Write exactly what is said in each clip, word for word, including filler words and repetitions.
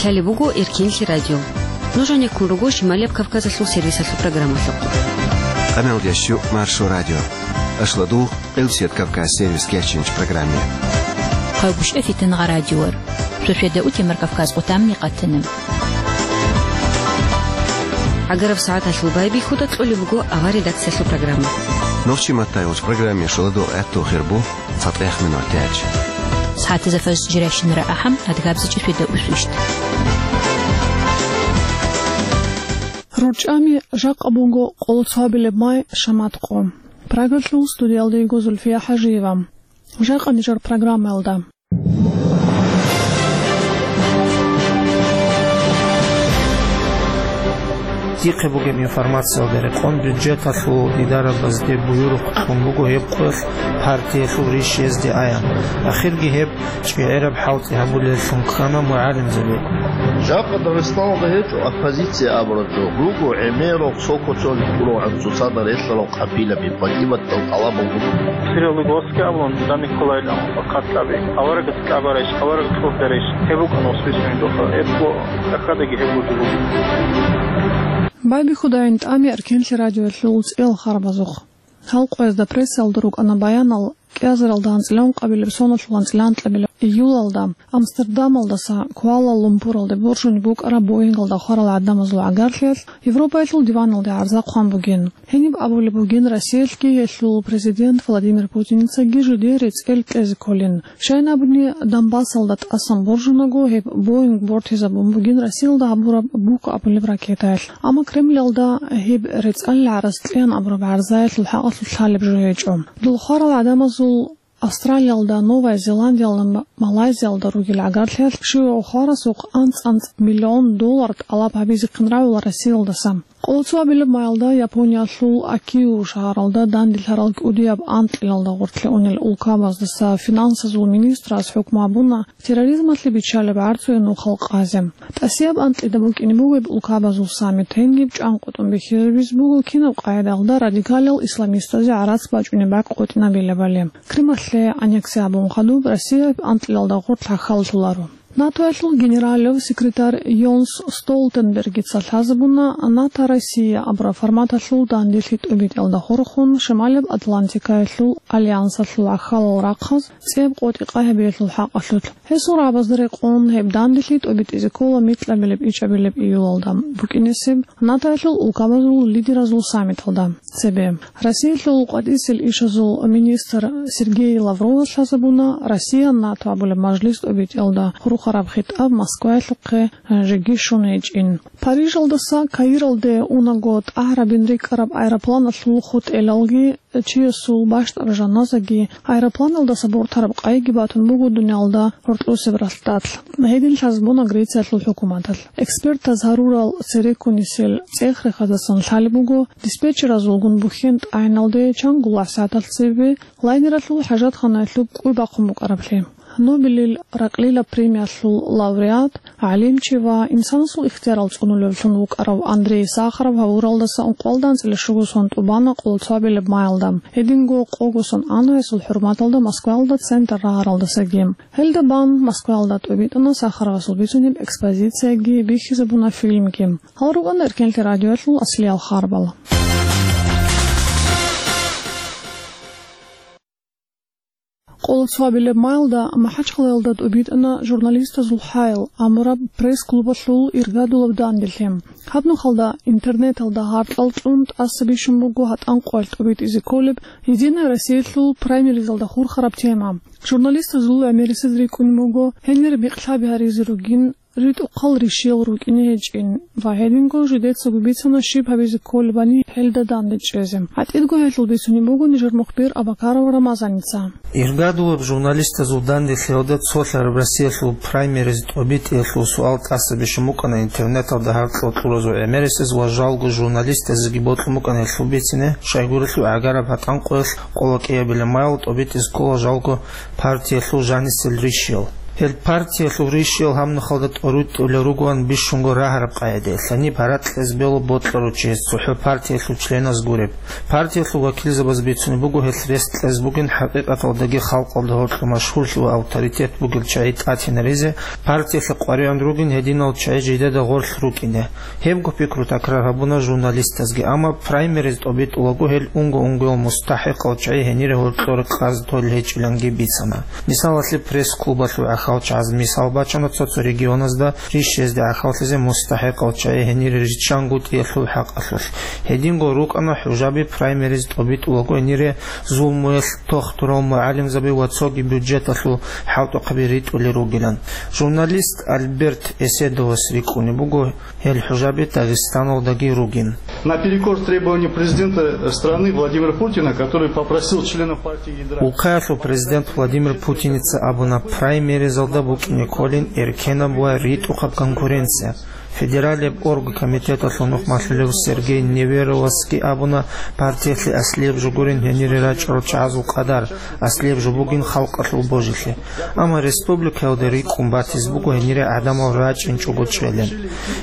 Лъалеб буго Эркенлъи радио. Нуж гьанеккун руго Шималияб Кавказалъул сервисалъул программалъухъ. Къамел ящу Маршо радио. Ашладу Къилсият Кавказ сервис кечинч программе. Хъайгушъа фитангъа радиор. Шошеда утемар Кавказ къутамни къатана. Агараб сагӀаталъул байбихьуда кьолеб буго авар редакциялъул программа. Нохчи маттай уч программе шуладу гӀатту хирбу. ЦатӀех минутач. СагӀатизафас жиращинара ахӀам, адгабзичӀеб фида усвищт. РурчӀами жакъа буго къоло цоабилеб май шамат къо. Прагалъул студиялда йиго Зульфия ХӀажиева. Жакъа нижер программаялда. Дихъе бугеб информациялда рекъон бюджеталъул идарабазде буюрухъ кьун буго гьеб къоялъ партиялъул риш гьезде аян. Ахирги гьеб чӀегӀераб хӀалтӀи гьабулеллъун ккана мугӀалимзаби. Жакъа Дагъистаналда гьечӀо оппозиция абураб жо, руго гӀемерал цо кочон ккурал гӀуцӀцӀусада релълъарал къабилаби, патӀиматал тӀалабал руго. Сериаллуги васги абулан, даник кколайилан, хъат кьаби. Аварагас кьабарайищ, авараг кьурдарайищ, гьеб букӀана васбисунеб доха. Гьеб бо-, тӀахьадаги гьеб буго. Байбихьудайин тӀами Эркенлъи радиоялъул цӀел харбазухъ. Гьал къоязда прессалда рукӀана баянал кӀиазаралда анцӀила ункъабилеб соналъул анцӀила анкьабилеб июлалда Амстердамалдаса Куала-Лумпуралде боржунеб букӀараб Боингалда хварал гӀадамазул гӀагарлъиялъ Европаялъул диваналде гӀарза хъван бугин. Гьениб абулеб бугин, Россиялъги гьелъул президент Владимир Путиницаги жидее рецӀел кьезе кколин. Щайин абуни, Донбассалда тӀасан боржунаго гьеб Боинг бортизабун бугин Россиялда гьабураб буко абулеб ракетаялъ. Амма Кремлалда гьеб рецӀалил гӀарац кьеян абураб гӀарзаялъул хӀакъалъулъ лъалеб жо гьечӀо. Дол хварал гӀадамазул Австралиялда, Новая Зеландиялда, М-, Малайзиялда ругел гӀагарлъиялъ щивав хварасухъ анцӀ-анцӀ миллион доллар тӀалаб гьабизехъин рагӀула Россиялдаса. Къоло цоабилеб майалда Япониялъул Акио шагьаралда данделъарал кӀудияб анкьилалда гъорлъе унел улкабаздаса финансазул министрас хӀукму гьабуна терроризмалъе биччалеб гӀарцуе нухал къазе. ТӀасияб анкьида букӀине бугеб улкабазул саммит, гьениб чӀанкъотӀун бихьизабизе буго кинаб къагӀидаялда радикалал исламистазе гӀарац бачӀунеб бакӀ къотӀинабилебали. Крималъе аннекси гьабун хадуб Россияб анкьилалда гъорлъ хӀахьаллъуларо. НАТОялъул генералав секретарь Йонс Столтенбергица лъазабуна НАТО-Россия абураб форматалъул данделъи тӀубитӀиялда хурхун Шималаб Атлантикаялъул альянсалъул ахалал рахъаз цӀеб къотӀи къай гьабиялъул хӀакъалъулъ. Гьесул рагӀабазда рекъон гьеб данделъи тӀубитӀизе ккола микьабилеб-ичӀабилеб июлалда букӀинесеб НАТОялъул улкабазул лидеразул саммиталда. Цебе Россиялъул къватӀисел ишазул министр Сергей Лаврова лъазабуна Россия-НАТО абулеб мажлис тӀубитӀиялда хурхараб хитӀаб Москваялъухъе жеги щун гьечӀин. Парижалдаса Каиралде унаго тӀагӀарабин рикӀкӀараб аэропланалъул хутӀелалги чиясул бащдаб жаназаги аэропланалдаса бортараб къайги батун буго дуниялда гьоркьосеб ралъдалъ. Гьедин лъазабуна Грециялъул хӀукуматалъ. Экспертаз гьарурал цереккунисел цӀех-рехаздасан лъалеб буго, диспетчеразулгун бухьен тӀагӀиналде чан гуллагь сагӀаталъ цебе лайнералъул хӀажатханаялъуб кӀуй бахъун букӀараблъи. Нобелил ракьлила премиялъул лауреат, гӀалимчи ва инсанасул ихтиярал цӀунулевлъун вукӀарав Андрей Сахаров гьавуралдаса ункъоялда анцӀила щуго сон тӀубана къоло цоабилеб майалда. Гьединго къого сон ана гьесул хӀурматалда Москваялда центр рагӀаралдасаги. Гьелда бан Москваялда тӀубитӀана Сахаровасул бицунеб экспозицияги, бихьизабуна фильмги. Гьал рукӀана Эркенлъи радиоялъул аслиял харбал. Къоло цоабилеб майалда МахӀачхъалаялда тӀубитӀана «Журналистазул хӀайл» абураб пресс-клубалъул иргадулаб данделъи. Гьаб нухалда интернеталда гьаркьал чӀун тӀаса бищун буго гьатӀан къоялъ тӀубитӀизе кколеб «Единая Россиялъул» праймеризалда хурхараб тема. Журналистазул гӀемерисез рикӀкӀунеб буго гьенир микьлъаби гьаризе ругин, ритӀухъал ришиял рукӀине гьечӀин ва гьединго жидецаго бицана щиб гьабизе кколебали гьелда данде чӀезе. ГьатӀидго гьелъул бицунеб буго нижер мухбир Абакаров Рамазаница. Иргадулаб журналистазул данделъиялда цолъараб Россиялъул праймериз тӀубитӀиялъул суал тӀаса бищун букӀана интернеталда гьаркьал кьуразул гӀемерисез ва жалго журналистазеги бокьун букӀана гьелъул бицине, щайгурелъул гӀагараб гьатӀан къоялъ къоло кӀиабилеб майал тӀубитӀизе ккола жалго партиялъул жанисел ришиял. Гьел партиялъул ришиял гьаб нухалда тӀоритӀулел ругоан бищунго рагьараб къагӀидаялъ, гьаниб гьаракь кьезе бегьула бокьарав чи гьес цохӀо партиялъул членаз гуреб. Партиялъул вакилзабаз бицунеб буго гьелъ рес кьезе бугин хӀакъикъаталдаги халкъалда гьоркьоб машгьурлъи ва авторитет бугел чагӀи тӀатинаризе, партиялъе къваригӀун ругин гьединал чагӀи жидеда гъорлъ рукӀине. Гьебго пикру такрар гьабуна журналистазги, амма праймериз тӀобитӀулаго гьел унго-унгоял мустахӀикъал чагӀи гьенире гьоркьоре къаз толел гьечӀиланги бицана. Мисалалъе, пресс-клубалъул гӀахьалчагӀаз мисал бачана цо-цо регионазда риш гьезде гӀахьаллъизе мустахӀикъал чагӀи гьенире риччанго тӀиялъул хӀакъалъулъ. Гьединго рукӀана хӀужаби праймериз тӀобитӀулаго гьенире зулмуялъ тохтурал мугӀалимзаби ва цоги бюджеталъул хӀалтӀухъаби ритӀулел ругилан. Журналист Альберт Эседовас рикӀкӀунеб буго гьел хӀужаби Дагъистаналдаги ругин. Наперекор требованию президента страны Владимира Путина, который попросил членов партии ядра Улкаялъул президент Владимир Путиница абуна, праймеризалда букӀине кколин эркенаб ва ритӀухъаб конкуренция. Федералияб оргкомитеталъул нухмалъулев Сергей Неверовасги абуна, партиялъе аслияб жо гурин гьенире рачӀарал чагӀазул къадар, аслияб жо бугин халкъалъул божилъи. Амма республикаялда рикӀкӀун батизе буго гьенире гӀадамал рачӀинчӀого чӀвелин.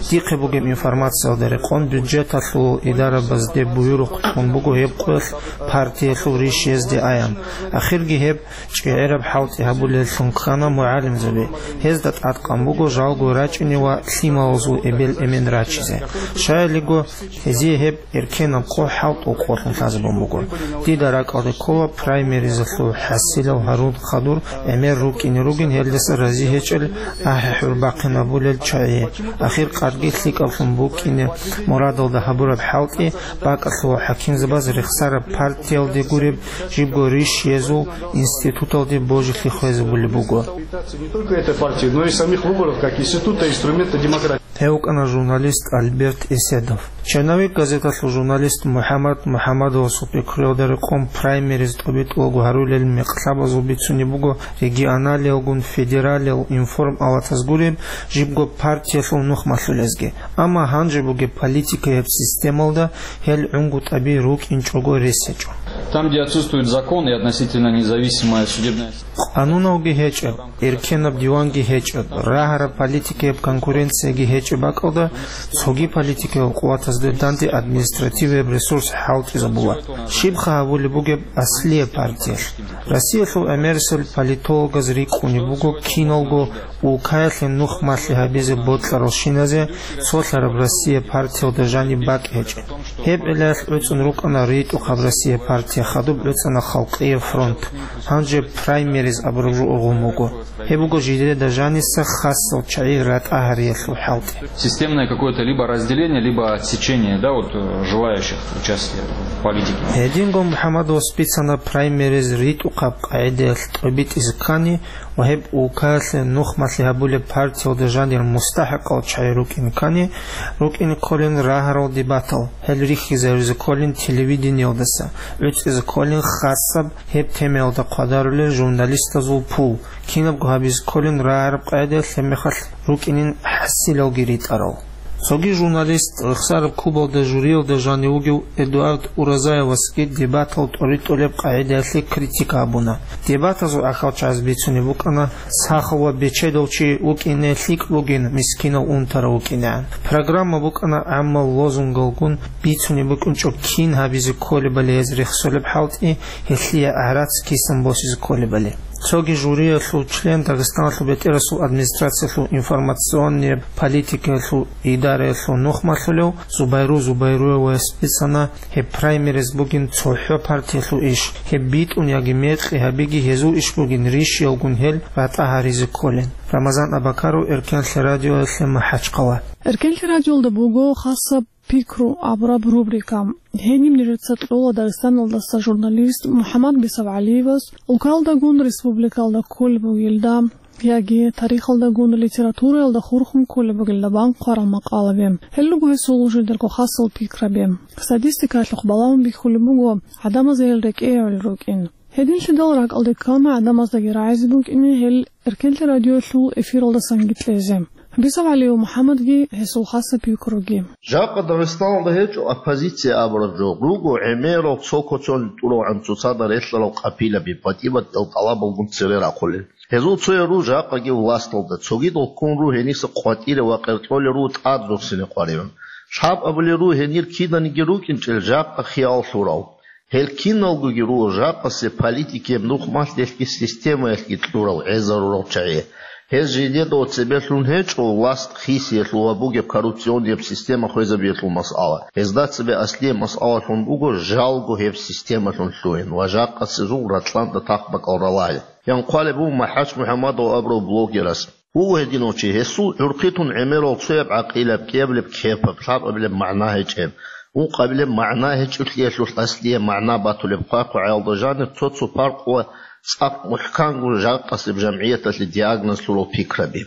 Дихъе бугеб информациялда рекъон, бюджеталъул идарабазде буюрухъ кьун буго гьеб къоялъ партиялъул риш гьезде аян. Ахирги гьеб чӀегӀераб хӀалтӀи гьабулеллъун ккана мугӀалимзаби. Гьезда тӀадкъан буго жалго рачӀине ва лъималазул эбел-эмен рачизе. Щаялиго, гьезие гьеб эркенаб къо хӀалтӀул къолъун лъазабун буго. Дида ракӀалде ккола праймеризалъул хӀасилал гьарун хадур гӀемер рукӀине ругин, гьелдаса рази гьечӀел ахӀи-хӀур бахъинабулел чагӀи. Ахир къадги лъикӀаблъун букӀине мурадалда гьабураб хӀалтӀи бакӀалъула хӀакимзабаз рехсараб партиялде гуреб жибго риш гьезул институталде божилъи хвезабулеб буго. Не только этой партии, но и самих выборов как института, инструмента демократии. Гьев вукӀана журналист Альберт Эседов. «Черновик» газеталъул журналист МухӀаммад МухӀаммадовасул пикруялда рекъон, праймериз тӀобитӀулаго гьарулел мекълъабазул бицунеб буго регионалиялгун федералиял информалатаз гуреб жибго партиялъул нухмалъулезги. Амма гьанже бугеб политикаяб системалда гьел гӀунгутӀаби рукӀинчӀого рес гьечӀо. Там, где отсутствует закон и относительно независимая судебная система. Къануналги гьечӀеб, эркенаб диванги гьечӀеб, рагьараб политикаяб конкуренцияги гьечӀеб бакӀалда, цоги политикаяб къуватазда данде административияб ресурс хӀалтӀизабула. Щибха гьабулеб бугеб аслияб партиялъ? Россиялъул гӀемерисел политологаз рикӀкӀунеб буго киналго улкаялъе нухмалъи гьабизе бокьаралщиназе цолъараб Россия партиялда жаниб бакӀ гьечӀеб. Гьеб гӀиллаялъ гӀуцӀун рукӀана РитӀухъаб Россия партия, хадуб гӀуцӀана Халкъияб фронт, гьанже праймериз абураб жо ургъун буго. Гьеб буго жидеда жаниса хасал чагӀи ратӀа гьариялъул хӀалтӀи. Системное какое-то либо разделение, либо отсечение, да, вот, э, желающих участия в политике. Гьединго МухӀаммадовас бицана, праймериз ритӀухъаб къагӀидаялъ тӀобитӀизе ккани ва гьеб улкаялъе нухмалъи гьабулеб партиялда жанир мустахӀикъал чагӀи рукӀин ккани, рукӀине кколин рагьарал дебатал, гьел рихьизаризе кколин телевидениялдаса, гӀуцӀизе кколин хасаб гьеб темаялда хъвадарулел журналистазул пул, кинабго гьабизе кколин рагьараб къагӀидаялъ, гьебмехалъ рукӀинин хӀасилалги ритӀарал. Цоги журналист, рехсараб клубалда жюриялда жанив вугев Эдуард Уразаевасги дебатал тӀоритӀулеб къагӀидаялъе критика гьабуна. Дебатазул ахӀалчагӀаз бицунеб букӀана, сахав ва бечедав чи вукӀине лъикӀ бугин, мискинав унтарав вукӀинегӀан. Программа букӀана гӀаммал лозунгалгун, бицунеб букӀинчӀо кин гьабизе кколебали гьез рехсолеб хӀалтӀи, гьелъие гӀарац кисан босизе кколебали. Цоги жюриялъул член, Дагъистаналъул бетӀерасул администрациялъул информационнияб политикаялъул идараялъул нухмалъулев Зубайру Зубайруевас бицана, гьеб праймериз бугин цохӀо партиялъул иш, гьеб битӀун яги мекъи гьабиги гьезул иш бугин, ришиялгун гьел ратӀа гьаризе кколин. Рамазан Абакаров, Эркенлъи радиоялъе, МахӀачхъала. Эркенлъи радиоялда буго хасаб пикру абураб рубрика. Гьениб нижеца кьола Дагъистаналдаса журналист МухӀаммад БисавгӀалиевас улкалдагун республикалда кколеб бугелда яги тарихалдагун литератураялда хурхун кколеб бугелда бан хъварал макъалаби. Гьел руго гьесул жидерго хасал пикраби. Статистикаялъухъ балагьун бихьулеб буго, гӀадамазда гьел рекӀеял рукӀин. Гьединлъидал ракӀалде ккана гӀадамаздаги рагӀизе букӀине гьел Эркенлъи радиоялъул эфиралдасанги кьезе. БисавгӀалиев МухӀаммадги гьесул хасаб пикруги. Жакъа Дагъистаналда гьечӀо оппозиция абураб жо, руго гӀемерал цо коцон тӀуравгӀан цоцазда релълъарал къапилаби, патӀиматал тӀалабалгун цере рахъулел. Гьезул цоял руго жакъаги власталда, цогидал ккун руго гьениса къватӀире ва къеркьолел руго тӀад рурсине къваригӀун. Лъаб абулел руго гьенир киданиги рукӀинчӀел жакъа хиял лъурал. Гьел киналгоги руго жакъасе политикияб нухмалъ делъги системаялъги кьурал, гӀезарурал чагӀи. Гьез жидеда цебе лъун гьечӀо власт хисиялъул ва бугеб коррупционияб система хвезабиялъул масъала. Гьезда цебе аслияб масъалалъун буго жалго гьеб системалъун лъугьин ва жакъасезул ракьалда тахбакӀал ралагьи. Ян хъвалеб буго МахӀач МухӀаммадов абурав блогерас. Вуго гьединав чи, гьесул гӀурхъи тун гӀемерал цояб гӀакъилаб, кӀиабилеб кепаб, лъабабилеб магӀна гьечӀеб, ункъабилеб магӀна гьечӀолъиялъулъ аслияб магӀна батулеб хъвай-хъвагӀаялда жанир цо-цо паркъ ва цӀакъ мухӀканго жакъасеб жамгӀияталъе диагноз лъурал пикраби.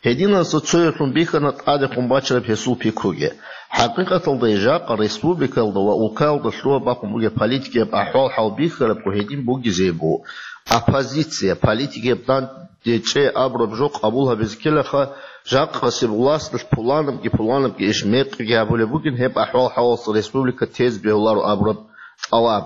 Гьединаса цояблъун бихьана тӀадехун бачараб гьесул пикруги. ХӀакъикъаталда жакъа республикаялда ва улкаялда лъугьа-бахъун бугеб политикияб ахӀвал-хӀал бихьарабго гьедин бугезе буго. Оппозиция, политикияб дандечӀей абураб жо къабул гьабизе ккелаха, жакъасеб власталъ пуланабги-пуланабги иш мекъиги гьабулеб бугин, гьеб ахӀвал-хӀалалъ республика тезе бегьуларо абураб тӀалаб.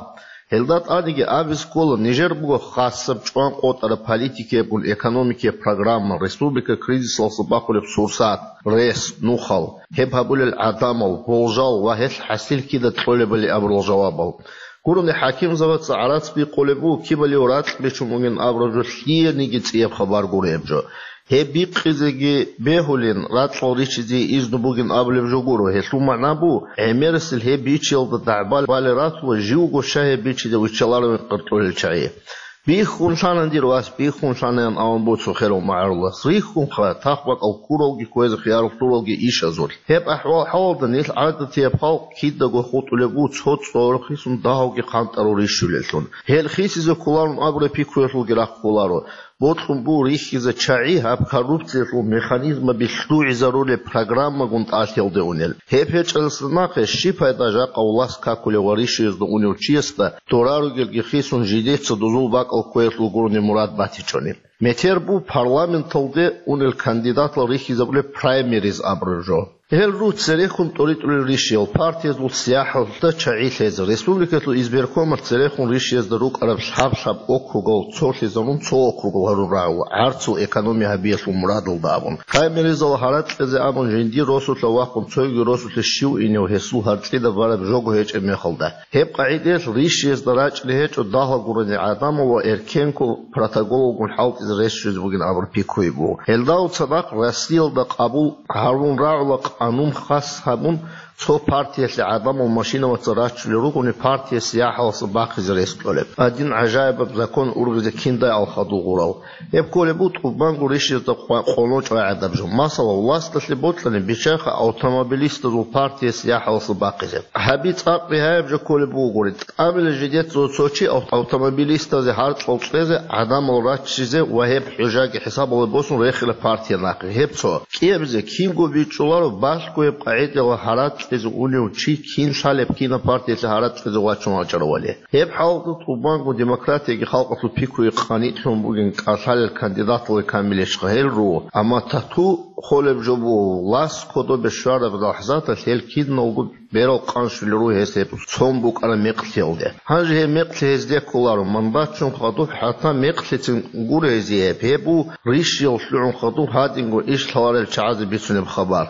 Гьелда тӀадеги абизе ккола, нижер буго хасаб чӀван къотӀараб политикиябгун экономикияб программа, республика кризисалъа бахулеб сурсат, рес, нухал, гьеб гьабулел гӀадамал, болжал ва гьелъ хӀасил кида кьолебали абурал жавабал. Гурони хӀакимзабаца гӀарац бикъулеб буго, кибалив ракь бичун бугин абураб жо лъиениги цӀияб хабар гуреб жо. Гьеб бикъизеги бегьулин, ракьал ричизе изну бугин абулеб жо гуро. Гьелъул магӀна буго, гӀемерисел гьеб бичиялда дагӀбал балел ратула, живго щай гьеб бичизе виччаларовин къаркьулел чагӀи. Бихьун лъана, дир вас, бихьун лъана, ян авун буго цо херав магӀарулас. Рихьунха, тахбакӀал ккуралги кквезе хиярулъуралги ишазулъ. Гьеб ахӀвал-хӀалалда нилъ гӀадатияб халкъ кидаго хутӀулеб буго цо цӀорохъисун дагьавги хъантӀарав рищулеллъун. Гьел хисизе кколарун абураб пикруялъулги рахъ кколаро. Бокьун буго рихьизе чагӀи гьаб коррупциялъул механизмаби лъугӀизарулеб программагун тӀалъиялде унел. Гьеб гьечӀелса нахъе щиб пайда жакъа власт какулев ва рищиязда унев чиясда дора ругелги хисун жидеца дозул бакӀал кквеялъул гурони мурад батичӀони? Метер буго парламенталде унел кандидатал рихьизабулеб праймериз абураб жо. Гьел руго церехун тӀоритӀулел рищиял партиязул сияхӀалда чагӀи лъезе, республикалъул избиркомалъ церехун рищиязда рукӀараб лъаб-лъаб округал цолъизарун цо округал гьарун рагӀула, гӀарцул экономия гьабиялъул мурадалда абун. Праймеризал гьаракь кьезе абун жиндир росулъа вахъун цоги росулъе щив инев гьесул гьаркьида бараб жого гьечӀеб мехалда. Гьеб къагӀидаялъ рищиязда рачӀине гьечӀо дагьал гурони гӀадамал ва эркенго протоколалгун хӀалтӀизе рес щвезе бугин абураб пикруги буго. Гьелдал цадахъ Россиялда къабул гьарун рагӀула къанун хас гьабун, цо партиялъе гӀадамал машинаваца рачулел ругони партия сияхӀаласа бахъизе рес кьолеб. Гьадин гӀажаибаб закон ургъизе киндай ал хадур гъурал. Гьеб кколеб буго тӀубанго рищиязда къо-, къоло чӀвай гӀадаб жо. Масала, власталъе бокьани, биччайха автомобилистазул партия сияхӀаласа бахъизе. Гьаби цӀакъ бигьаяб жо кколеб бугогури. ТӀамила жидеца цо чи ав-, автомобилистазе гьаркьал кьезе, гӀадамал раччизе ва гьеб хӀужаги хӀисабалде босун рехила партия нахъе. Гьеб цо. КӀиабизе кинго бичӀчӀуларо, балъго гьеб къагӀидала гьаракь кьезе унев чи кин лъалеб, кинаб партиялъе гьаракь кьезе вачун вачӀаравали. Гьеб хӀалалда тӀубанго демократияги халкъалъул пикруги къанитлъун бугин кӀалъалел кандидаталги камилищха гьел руго, амма тату холеб жо буго, власт кодобе щвараб лахӀзаталъ гьел киналго берал къанщулел руго гьес гьеб цон букӀараб мекълъиялде. Гьанже гьеб мекълъи гьезде кколаро, мандатчун хадуб хӀатта мекълъицин гуро гьезие гьеб, гьеб буго рищиял лъугӀун хадуб гьадинго иш лъаларел чагӀазе бицунеб хабар.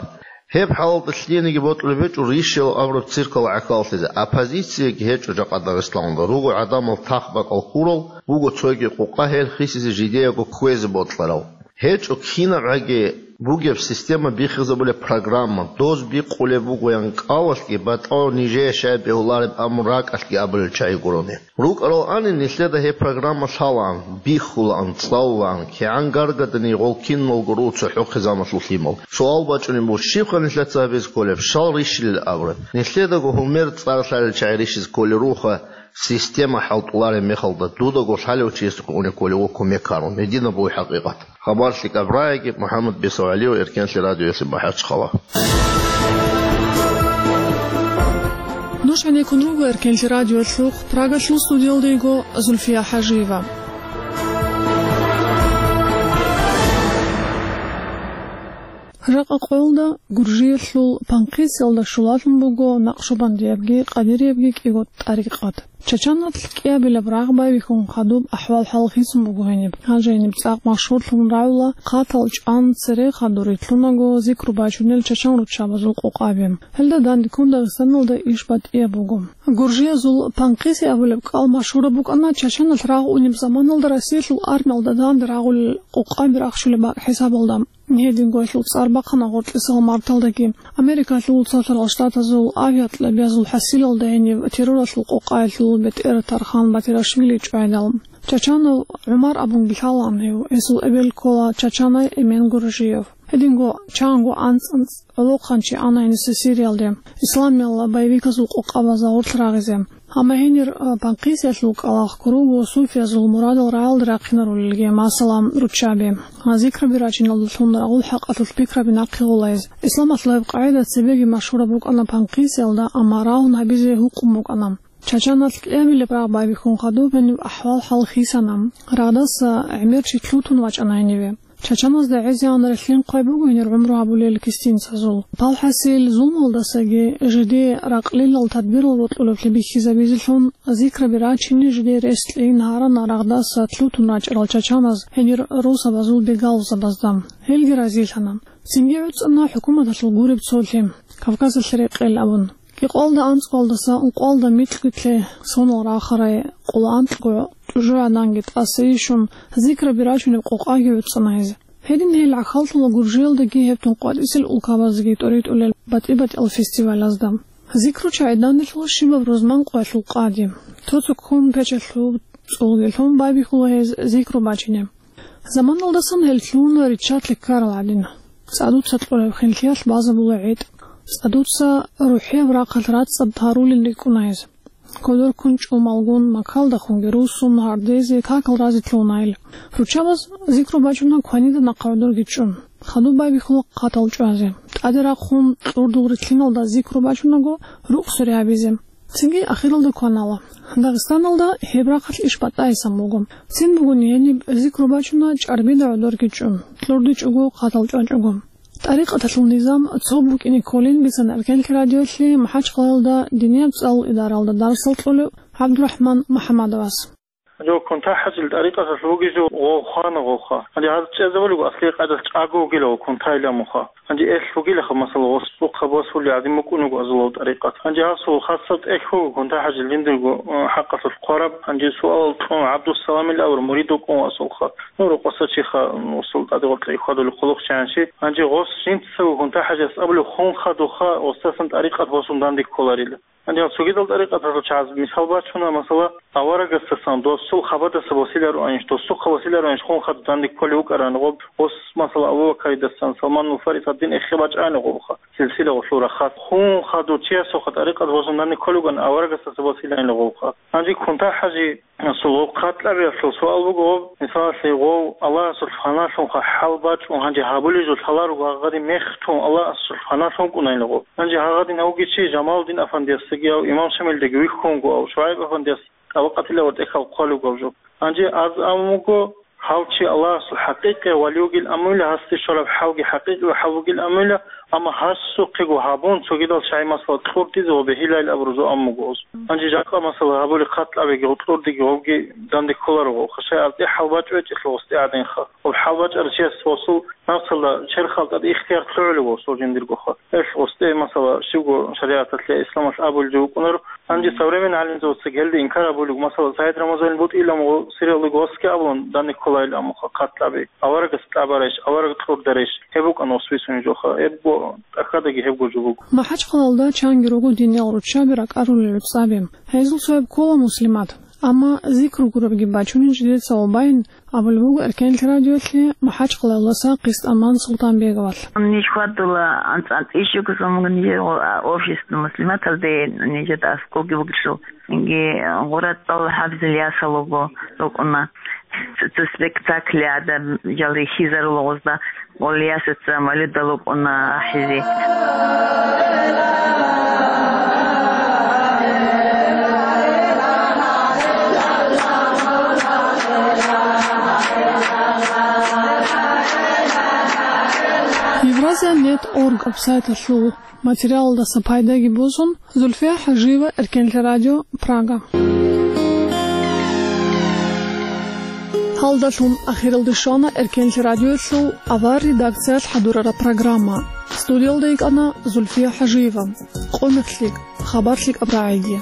Гьеб хӀалалда лъиениги бокьулеб гьечӀо рищиял абураб циркал гӀахьаллъизе, оппозицияги гьечӀо жакъа Дагъистаналда, руго гӀадамал тахбакӀал ккурал, буго цоги къукъа гьел хисизе жидеяго кквезе бокьарал. ГьечӀо кинабгӀаги бугеб система бихизабулеб программа, доз бикъулеб бугоян кӀалалъги, батӀал нижее щай бегьулареб абун ракӀалъги абулел чагӀи гурони. РукӀарал ани нилъеда гьеб программа лъалаан, бихьулаан, цӀалулаан, кигӀан гаргадани гъол киналго руго цохӀохъе замалъул лъимал. Суал бачӀунеб буго, щибха нилъеца гьабизе кколеб, щал рищилел абураб? Нилъедаго гьумер цӀар лъалел чагӀи рищизе кколел ругоха, система хӀалтӀулареб мехалда, дудаго лъалев чиясухъе унеб кколев ва кумек гьарун, гьединаб буго хӀакъикъат. Хабар лъикӀаб рагӀиги, МухӀаммад Бесав ГӀалиев, Эркенлъи радиоялъе, МахӀачхъала. Нуж гӀенеккун руго Эркенлъи радиоялъухъ, Прагалъул студиялда йиго Зульфия ХӀажиева. Жакъа къоялда Гуржиялъул Панкъисиялда щулалъун буго накъшубандиябги къадириябги кӀиго тӀарикъат. Чачаналъ кӀиабилеб рагъ байбихьун хадуб ахӀвал-хӀал хисун буго гьениб. Гьанже гьениб цӀакъ машгьурлъун рагӀула хъатал чӀван цере хадур рилълъунаго зикру бачунел чачан руччабазул къокъаби. Гьелда дандеккун Дагъистаналда иш батӀияб буго. Гуржиязул Панкъиси абулеб кӀал машгьураб букӀана чачаналъ рагъ унеб заманалда Россиялъул армиялда данде рагъулел къокъаби рахчулеб бакӀ хӀисабалда. Гьединго гьелъул цӀар бахъана гъоркьисал марталдаги. Америкалъул Цоцарал Штатазул авиакьабазул хӀасилалда гьениб терроралъул къокъаялъул бетӀер Тархан Батирашвили чӀвайдал. Чачанов ГӀумар абунги лъалаан гьев, гьесул эбел ккола чачанай Эмен Гуржиев. Гьединго чанго анцӀ-анцӀ гӀолохъанчи ана гьениса Сириялде, исламиялъ боевиказул къокъабазда гъорлъ рагъизе. Амма гьенир, а, Панкъисиялъул кӀалалъ ккурав суфиязул мурадал рагӀалде рахъинарулелги, масала, руччаби. Гьа, зикраби рачиналдалъун рагъул хӀакъалъулъ пикраби нахъе гъолайз. Исламалъул гьеб къагӀида цебеги машгьураб букӀана Панкъисиялда, амма рагъун гьабизе гьукъун букӀана. Чачаналъ кӀиабилеб рагъ байбихьун хадуб гьениб ахӀвал-хӀал хисана. Рагъдаса гӀемер чи лъутун вачӀана гьениве. Чачаназда гӀезегӀан релълъин хъвай буго гьенир гӀумру гьабулел кистинцазул. Палхасил зулмалдасаги жидее ракълилал тадбирал рокьулеблъи бихьизабизелъун, зикраби рачине жидее рес кьейин гьарана рагъдаса лъутун рачӀарал чачаназ гьенир росабазул бегалзабазда. Гьелги разилъана. Цинги гӀуцӀана хӀукуматалъул гуреб цолъи, Кавказалъе рекъел абун. Кьикъоялда анцӀгоялдаса ункъоялда микьго-кье сонал рахарай къоло анкьго тӀужугӀаданги тӀаса ишун, зикраби рачунеб къокъаги гӀуцӀана гьез. Гьедин гьел гӀахьаллъула Гуржиялдаги гьеб тун къватӀисел улкабаздаги тӀоритӀулел батӀи-батӀиял фестивалазда. Зикру чагӀи данделъула щибаб рузман къоялъул къади. Цо-цо ккун печалъул цӀулги лъун байбихьула гьез зикру бачине. Заманалдасан гьел лъугьуна риччалъе ккарал гӀадин. ЦӀадуца кьураб хинлъиялъ базабула гӀетӀ. ЦӀадуца рухӀияб рахъалъ рацӀцӀад гьарулел рикӀкӀуна гьез. Кодор ккун чӀумалгун, макалдахунги руссун, гьардезе, какал разе лъугьуна гьел. Руччабаз зикру бачуна кванида нахъа гӀодорги чӀун. Хадуб байбихьула хъатал чӀвазе. ТӀаде рахъун кьурдул рилълъиналда зикру бачунаго рукъ суре гьабизе. Цинги ахиралда кванала. Дагъистаналда гьеб рахъалъ иш батӀайсан буго. Цин бугони гьениб зикру бачуна чӀарбида гӀодорги чӀун, кьурдичӀого хъатал чӀвачӀого. ТӀарикъаталъул низам цо букӀине кколин бицана Эркенлъи радиолъи МахӀачхъалаялда динияб цӀалул идаралда дарсал кьолев ГӀабдурахӀман МухӀаммадовас. Гьанже кунта-хӀажил тӀарикъаталъ вугев жо гъов хвана гъовха. Гьанже гьаз чӀезабулего аслияб къайдалъ чӀаго вугилав кунтайилан муха. Гьанже элъ вугилаха, масала, гъос цӀухъа босулел гӀадин букӀунего азулав тӀарикъат. Гьанже гьасул хасаб тӀехь вуго кунта-хӀажил жиндирго, э, хӀакъалъулъ хъвараб. Гьанже суалал кьун ГӀабдуссаламил авар мурид вукӀун васулха. Ну, рукъоса чиха, м, усул тӀаде гъоркье хьвадулеб хъулухъ чагӀанчи. Гьанже гъос жинцаго кунта-хӀажас абулев хун хадуха, гъосдасан тӀарикъат босун данде кколарила. Гьанже гьал цогидал тӀарикъаталъул чагӀаз мисал бачуна, масала, аварагасдасан досул хабадаса босилароанищ, досухъа босилароанищ хун хадур данде кколев вукӀарани гъоб, гъос, масала, Абу Бакаридасан, Салманул Фарис гьадин эхе бачӀани гъобха, силсила гъолъул рахъалъ. Хун хадур чиясухъа тӀарикъат босун данде кколев вукӀана, аварагасдаса босилаани гъобха. Гьанже кунта-хӀажи Гьасул гъов хъатӀлъабиялъул суал буго, гъов, мисалалъе, гъов Аллагьасул фаналъунха хӀал бачӀун гьанже гьабулей жо лъаларого гьагъадин мехтун Аллагьасул фаналъун вукӀунайила гъов. Гьанже гьагъадин гьавги чи Жамалудин афандиясдаги гьав, Имам Шамилдаги вихьунго гьав, ШугӀайб афандияс тӀабакъатила ва тӀехьал хъвалуго гьав жо. Гьанже аз абун буго, гьав чи Аллагьасул хӀакъикъияв вали вугил амуйла, гьасде щвараб хӀалги хӀакъикъияв хӀал бугил амуйла, амма гьасухъего гьабун, цогидал чагӀи масала кьуртӀизе ва бегьилайил абурузул аммуго гъоз. Гьанже жакъа масала гьабули хъатӀлъабиги, гъутӀлурдиги гъовги данде кколаро гъов. Хашай аз тӀе хӀалбачӀвечӀелъул гъос тӀагӀадинха. Гъоб хӀалбачӀарав чияс гъосул напсалда черхал тӀад ихтияр лъугӀулев гъосул жиндиргоха. Гьелъ гъос тӀе масала щибго шаригӀаталъе, исламалъ абулев вукӀунаро. Гьанже современный гӀалимзабацаги гьелда инкар абулев, масала, СагӀид Рамазанил бутӀилан гъо-, сериалдаго гъосги абун данде кколайил аммуха хъатӀлъаби. Аварагас тӀабарайищ, авараг кьурдарайищ, гьеб букӀана гъос бицунеб жоха, гьебго тӀахьадаги гьебго жо буго. МахӀачхъалаялда чанги руго диниял руччаби ракӀарулел рецӀаби. Гьезул цояб ккола Муслимат. Амма зикру гурабги бачунин жидеца ва байин абулеб буго Эркенлъи радиолъи МахӀачхъалаялдаса Къистаман Султанбеговалъ. Ниж хьвадула анцӀ-анцӀ ишигузумун нижер офис Муслиматалде нижер аскӀовги бугелъул. Цинги гъура цӀал хӀабзил ясал руго рукӀуна. Цо спектакль адам жал рихьизарул гъозда, гъол ясаца малидал рукӀуна ахӀизе. Нет орг сайталъул материалдаса пайдаги босун, Зульфия ХӀажиева, Эркенлъи радио, Прага. Гьалдалъун ахиралде щвана Эркенлъи радиоялъул авар редакциялъ хӀадурараб программа. Студиялда йикӀана Зульфия ХӀажиева. Къо мехлъи, хабар лъикӀаб рагӀиги.